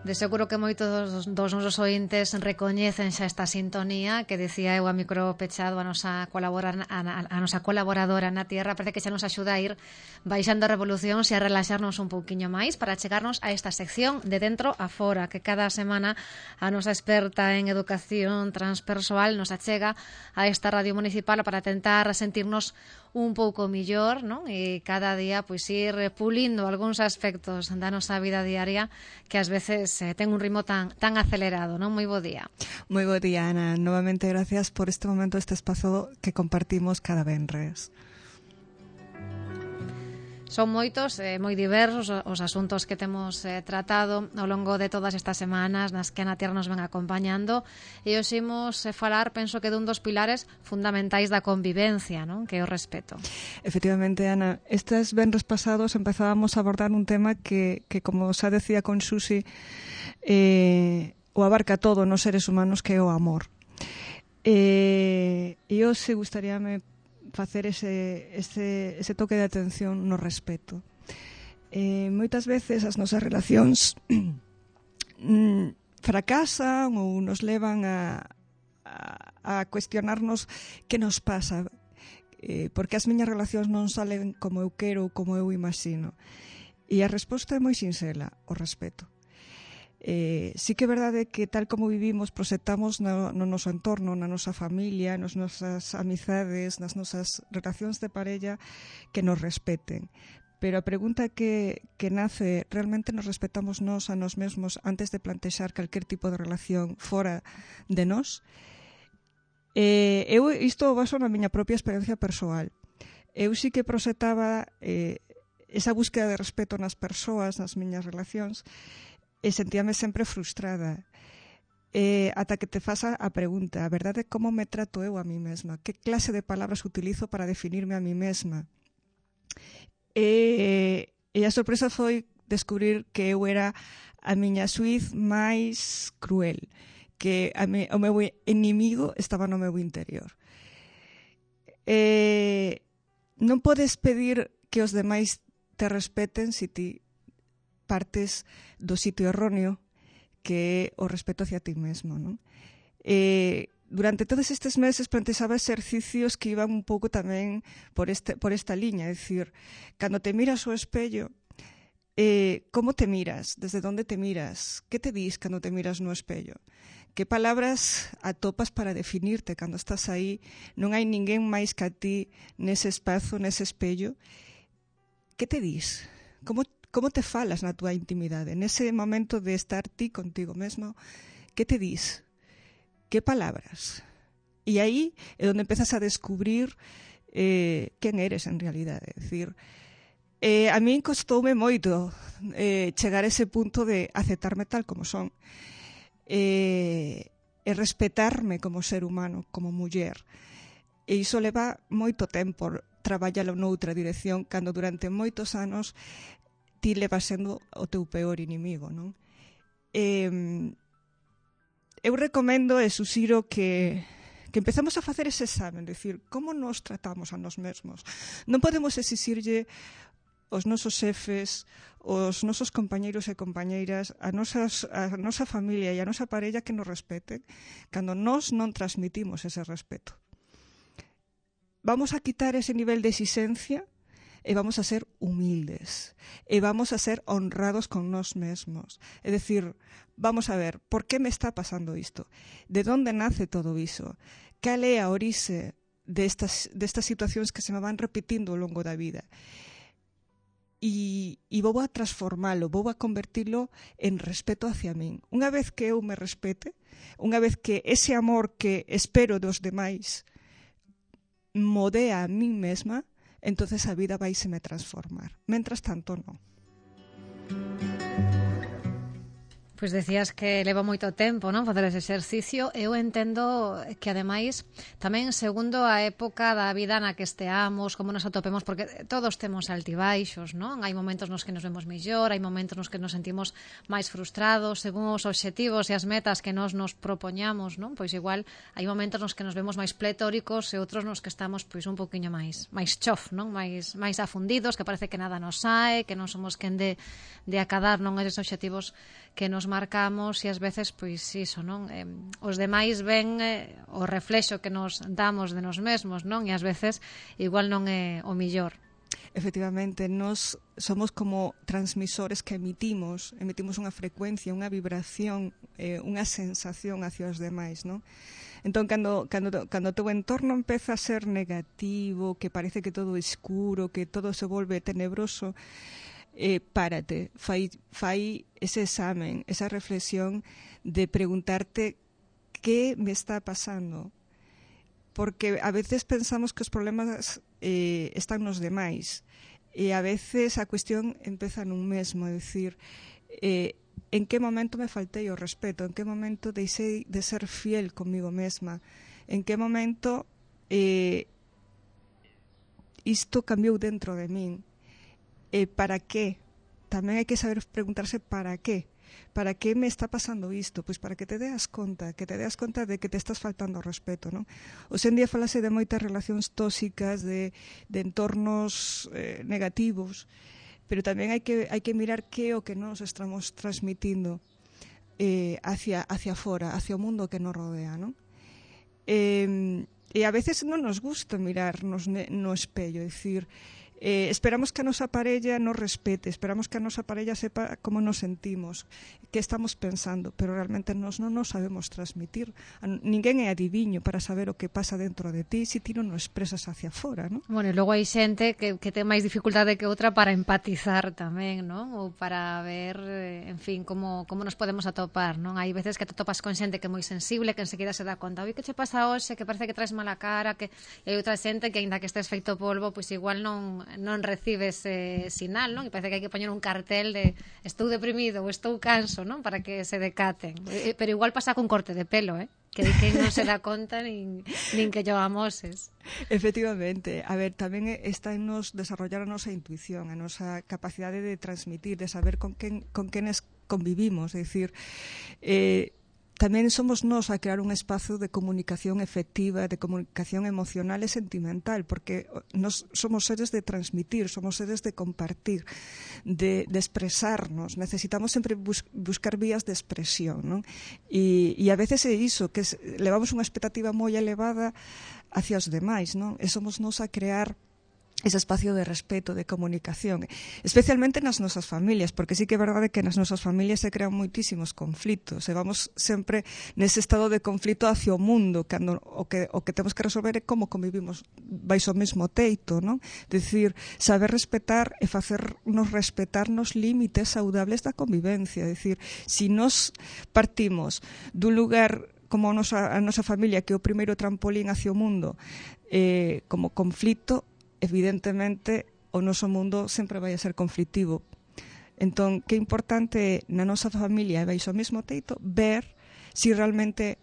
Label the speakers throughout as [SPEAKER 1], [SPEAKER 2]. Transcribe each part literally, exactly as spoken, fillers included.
[SPEAKER 1] De seguro que moitos dos, dos nosos ointes recoñecen xa esta sintonía que decía eu a micro pechado a nosa, colabora, a, a nosa colaboradora na Tierra. Parece que xa nos axuda a ir baixando revolucións e a relaxarnos un pouquiño máis para chegarnos a esta sección de dentro a fora, que cada semana a nosa experta en educación transpersoal nos achega a esta radio municipal para tentar sentirnos un pouco millor, non? E cada día pois ir pulindo algúns aspectos da nosa vida diaria que ás veces eh, ten un ritmo tan tan acelerado, non? Moi bo día.
[SPEAKER 2] Moi bo día, Ana. Novamente gracias por este momento, este espazo que compartimos cada venres.
[SPEAKER 1] Son moitos, eh, moi diversos os asuntos que temos eh, tratado ao longo de todas estas semanas nas que a Na Tierra nos ven acompañando, e hoxe imos eh, falar, penso que dun dos pilares fundamentais da convivencia, non? Que é o respeto.
[SPEAKER 2] Efectivamente, Ana, estes venres pasados empezábamos a abordar un tema que, que como xa decía con Susi, eh, o abarca todo nos seres humanos, que é o amor. Eh, e hoxe gustaríame facer ese, ese, ese toque de atención no respeto. Eh, moitas veces as nosas relacións fracasan ou nos levan a, a, a cuestionarnos que nos pasa, eh, porque as miñas relacións non salen como eu quero ou como eu imagino. E a resposta é moi sinxela, o respeto. Eh, sí que é verdade que tal como vivimos proxectamos no, no noso entorno, na nosa familia, nas nosas amizades, nas nosas relacións de parella, que nos respeten. Pero a pregunta que, que nace, realmente nos respetamos nós a nós mesmos antes de plantexar calquer tipo de relación fora de nós? Eh, eu isto o baso na miña propia experiencia persoal. Eu sí que proxectaba eh, esa búsqueda de respeto nas persoas, nas miñas relacións, e sentíame sempre frustrada. Eh, ata que te fasa a pregunta, a verdade é como me trato eu a mí mesma? Que clase de palabras utilizo para definirme a mí mesma? E, e a sorpresa foi descubrir que eu era a miña suiz máis cruel, que a me, o meu inimigo estaba no meu interior. E, non podes pedir que os demais te respeten se ti partes do sitio erróneo, que é o respeto hacia ti mesmo, non? Eh, durante todos estes meses plantexaba exercicios que iban un pouco tamén por, este, por esta liña, é dicir, cando te miras ao espello, eh, como te miras? Desde onde te miras? Que te dis cando te miras no espello? Que palabras atopas para definirte cando estás aí? Non hai ninguén máis que a ti nese espazo, nese espello. Que te dis? Como Como te falas na túa intimidade? Nese momento de estar ti contigo mesmo, que te dis? Que palabras? E aí é onde empezas a descubrir eh, quen eres en realidade. É dicir, eh, a min costoume moito eh, chegar a ese punto de aceptarme tal como son. Eh, e respetarme como ser humano, como muller. E iso leva moito tempo traballalo noutra dirección, cando durante moitos anos ti levas sendo o teu peor inimigo, non? Eh, eu recomendo e susiro que, que empezamos a facer ese examen, decir, como nos tratamos a nós mesmos. Non podemos exixirlle os nosos xefes, os nosos compañeiros e compañeiras, a, nosas, a nosa familia e a nosa parella que nos respeten, cando nós non transmitimos ese respeto. Vamos a quitar ese nivel de exigencia e vamos a ser humildes, e vamos a ser honrados con nós mesmos. É dicir, vamos a ver, por que me está pasando isto? De onde nace todo iso? Cal é a orixe destas, destas situacións que se me van repetindo ao longo da vida? E, e vou a transformalo, vou a convertilo en respeto hacia min. Unha vez que eu me respete, unha vez que ese amor que espero dos demais modea a min mesma, entonces a vida vai se me transformar. Mentras tanto, non.
[SPEAKER 1] Pois decías que leva moito tempo, non, facer ese exercicio. Eu entendo que, ademais, tamén segundo a época da vida na que esteamos, como nos atopemos, porque todos temos altibaixos, non? Hai momentos nos que nos vemos mellor, hai momentos nos que nos sentimos máis frustrados, según os obxectivos e as metas que nós nos propoñamos, non? Pois igual hai momentos nos que nos vemos máis pletóricos e outros nos que estamos pois un poquinho máis máis chof, non? Máis máis afundidos, que parece que nada nos sae, que non somos quen de de acadar non eses obxectivos que nos marcamos e ás veces, pois, iso, non? Eh, os demais ven eh, o reflexo que nos damos de nos mesmos, non? E ás veces igual non é o millor.
[SPEAKER 2] Efectivamente, nos somos como transmisores que emitimos, emitimos unha frecuencia, unha vibración, eh, unha sensación hacia os demais, non? Entón, cando, cando, cando o teu entorno empeza a ser negativo, que parece que todo é escuro, que todo se volve tenebroso, eh, párate, fai, fai ese examen, esa reflexión de preguntarte que me está pasando. Porque a veces pensamos que os problemas eh, están nos demais e a veces a cuestión empeza nun mesmo, é dicir, eh, en que momento me faltei o respeto, en que momento deixei de ser fiel comigo mesma, en que momento eh, isto cambiou dentro de min, e eh, para que? Tamén hai que saber preguntarse para que. Para que me está pasando isto? Pois para que te deas conta, que te deas conta de que te estás faltando ao respeto, non? Hoxe en día falase de moitas relacións tóxicas, de, de entornos eh, negativos, pero tamén hai que, hai que mirar que o que nos estamos transmitindo eh, hacia, hacia fora, hacia o mundo que nos rodea, non? Eh, e a veces non nos gusta mirarnos no espello, é dicir, Eh, esperamos que a nosa parella nos respete, esperamos que a nosa parella sepa como nos sentimos, que estamos pensando, pero realmente nos non nos sabemos transmitir. Ninguén é adiviño para saber o que pasa dentro de ti se ti non o expresas hacia fora, non?
[SPEAKER 1] Bueno, e logo hai xente que, que ten máis dificultade que outra para empatizar tamén, non? Ou para ver, en fin, como, como nos podemos atopar, non? Hai veces que te topas con xente que é moi sensible, que enseguida se dá conta, oi, que che pasa hoxe, que parece que traes mala cara, que e hai outra xente que, aínda que estés feito polvo, pois igual non non recibes ese sinal, non? E parece que hai que poñer un cartel de estou deprimido ou estou canso, non? Para que se decaten. Pero igual pasa con corte de pelo, eh? Que, que non se dá conta nin, nin que yo amoses.
[SPEAKER 2] Efectivamente. A ver, tamén está en nos desarrollar a nosa intuición, a nosa capacidade de transmitir, de saber con quen, con quenes convivimos. É dicir, eh, tamén somos nós a crear un espazo de comunicación efectiva, de comunicación emocional e sentimental, porque nós somos seres de transmitir, somos seres de compartir, de, de expresarnos. Necesitamos sempre bus buscar vías de expresión, non? E, e a veces é iso, que es, levamos unha expectativa moi elevada hacia os demais, non? E somos nós a crear ese espacio de respeto, de comunicación, especialmente nas nosas familias, porque sí que é verdade que nas nosas familias se crean moitísimos conflitos, e vamos sempre nese estado de conflito hacia o mundo, cando o que, o que temos que resolver é como convivimos baixo o mesmo teito, non? Decir, saber respetar e facernos respetar nos límites saudables da convivencia, decir, si nos partimos dun lugar como a nosa, a nosa familia, que é o primeiro trampolín hacia o mundo, eh, como conflito, evidentemente o noso mundo sempre vai a ser conflictivo. Entón, que importante na nosa familia e baixo o mesmo teito ver se si realmente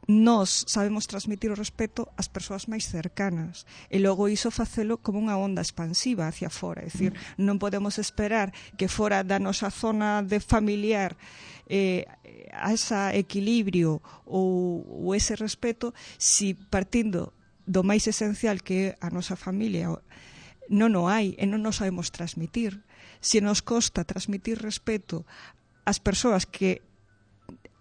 [SPEAKER 2] nós sabemos transmitir o respeto ás persoas máis cercanas e logo iso facelo como unha onda expansiva hacia fora, é dicir, non podemos esperar que fora da nosa zona de familiar eh, a ese equilibrio ou, ou ese respeto si partindo do máis esencial que é a nosa familia non o hai e non nos sabemos transmitir. Se nos costa transmitir respeto ás persoas que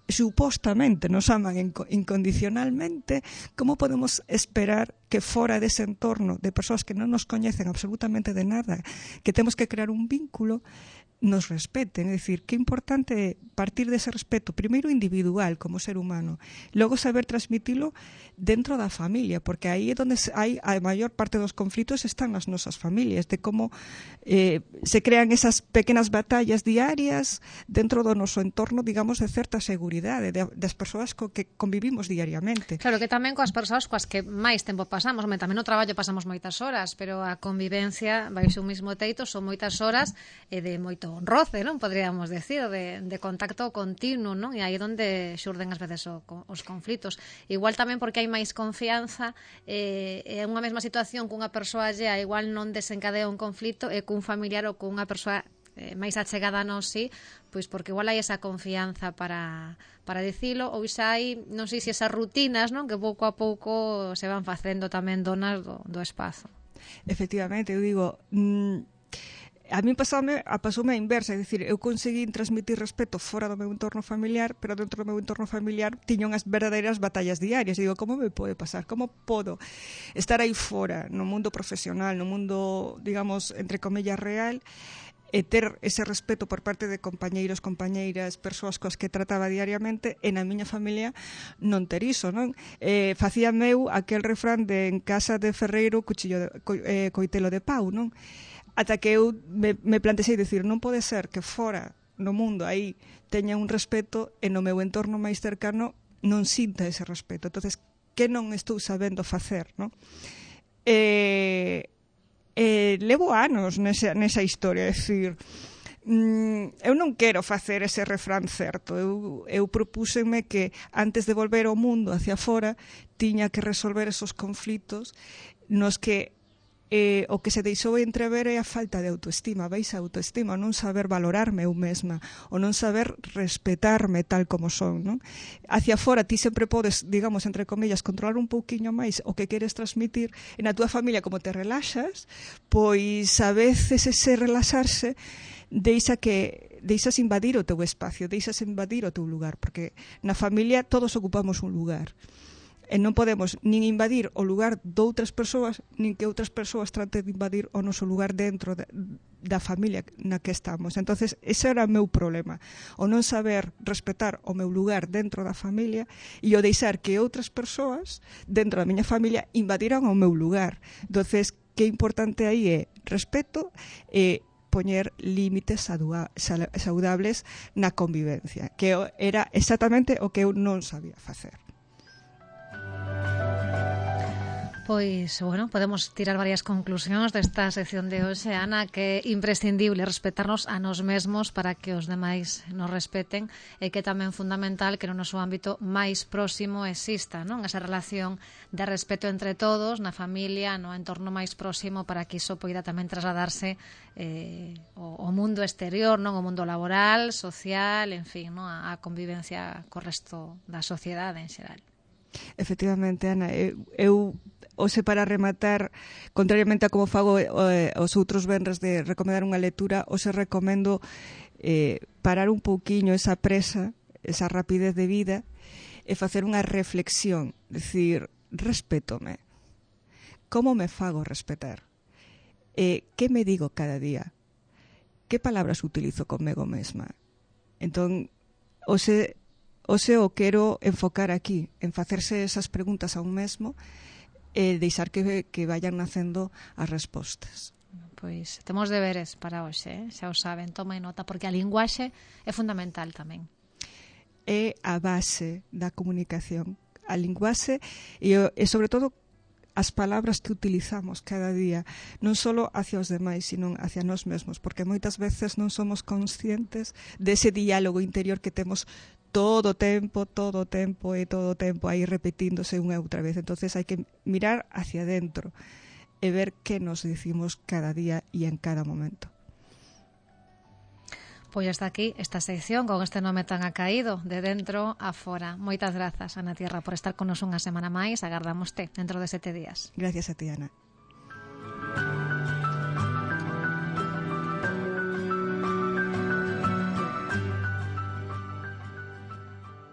[SPEAKER 2] supostamente nos aman incondicionalmente, como podemos esperar que fora dese entorno de persoas que non nos coñecen absolutamente de nada, que temos que crear un vínculo, nos respeten? É dicir, que importante partir dese respeto, primeiro individual como ser humano, logo saber transmitilo dentro da familia, porque aí é onde hai a maior parte dos conflitos están nas nosas familias, de como eh, se crean esas pequenas batallas diarias dentro do noso entorno, digamos, de certa seguridade, de, das persoas co que convivimos diariamente.
[SPEAKER 1] Claro, que tamén coas persoas coas que máis tempo pasamos, tamén no traballo pasamos moitas horas, pero a convivencia baixo un mismo teito son moitas horas e de moito roce, non? Podríamos decir, de, de contacto continuo, non? E aí é onde xurden ás veces o, os conflitos. Igual tamén porque hai máis confianza, eh, é unha mesma situación cunha persoa allea, igual non desencadea un conflito e cun familiar ou cunha persoa eh, máis achegada a nós, sí, pois porque igual hai esa confianza para, para dicilo, ou xa hai, non sei se esas rutinas, non? Que pouco a pouco se van facendo tamén donas do, do espazo.
[SPEAKER 2] Efectivamente, eu digo... Mmm, a mí pasoume, a pasoume a inversa, é dicir, eu conseguí transmitir respeto fora do meu entorno familiar, pero dentro do meu entorno familiar tiño unhas verdadeiras batallas diarias. E digo, como me pode pasar? Como podo estar aí fora, no mundo profesional, no mundo, digamos, entre comillas, real, e ter ese respeto por parte de compañeiros, compañeiras, persoas coas que trataba diariamente, e na miña familia non ter iso, non? Eh, facía meu aquel refrán de en casa de ferreiro, cuchillo de, co, eh, coitelo de pau, non? Ata que eu me, me plantexei dicir, non pode ser que fora no mundo aí teña un respeto e no meu entorno máis cercano non sinta ese respeto. Entonces, que non estou sabendo facer, non? Eh... Eh, levo anos nesa, nesa historia, é dicir, mm, eu non quero facer ese refrán certo, eu, eu propúxenme que antes de volver ao mundo hacia fora tiña que resolver esos conflitos nos que eh, o que se deixou entrever é a falta de autoestima, baixa autoestima, o non saber valorarme eu mesma, o non saber respetarme tal como son, non? Hacia fora ti sempre podes, digamos, entre comillas, controlar un pouquiño máis o que queres transmitir, e na túa familia como te relaxas, pois a veces ese relaxarse deixa que deixas invadir o teu espacio, deixas invadir o teu lugar, porque na familia todos ocupamos un lugar. E non podemos nin invadir o lugar de outras persoas, nin que outras persoas traten de invadir o noso lugar dentro da, da familia na que estamos. Entonces, ese era o meu problema, o non saber respetar o meu lugar dentro da familia e o deixar que outras persoas dentro da miña familia invadiran o meu lugar. Entonces, que importante aí é respeto e poñer límites saudables na convivencia, que era exactamente o que eu non sabía facer.
[SPEAKER 1] Pois, bueno, podemos tirar varias conclusións desta sección de hoxe, Ana, que é imprescindible respetarnos a nos mesmos para que os demais nos respeten, e que é tamén fundamental que no noso ámbito máis próximo exista, non? Esa relación de respeto entre todos, na familia, no entorno máis próximo, para que iso poida tamén trasladarse eh, ao mundo exterior, non? O mundo laboral, social, en fin, non? A, a convivencia co resto da sociedade en xeral.
[SPEAKER 2] Efectivamente, Ana, eu, eu hoxe para rematar, contrariamente a como fago eh, os outros venres de recomendar unha lectura, hoxe recomendo eh, parar un pouquiño esa presa, esa rapidez de vida, e facer unha reflexión, decir, respétome, como me fago respetar, eh, que me digo cada día, que palabras utilizo conmigo mesma. Entón, hoxe Hoxe o quero enfocar aquí, en facerse esas preguntas a un mesmo e deixar que, que vayan nacendo as respostas.
[SPEAKER 1] Pois temos deberes para hoxe, eh? Xa o saben, tomen nota, porque a linguaxe é fundamental tamén.
[SPEAKER 2] É a base da comunicación. A linguaxe e, e sobre todo, as palabras que utilizamos cada día, non só hacia os demais, sino hacia nós mesmos, porque moitas veces non somos conscientes dese diálogo interior que temos todo o tempo, todo o tempo e todo o tempo aí repetíndose unha e outra vez. Entonces hai que mirar hacia dentro e ver que nos dicimos cada día e en cada momento.
[SPEAKER 1] Pois hasta aquí esta sección con este nome tan acaído, de dentro a fora. Moitas grazas, Ana Tierra, por estar con nos unha semana máis. Agardámoste dentro de sete días.
[SPEAKER 2] Gracias a ti, Ana.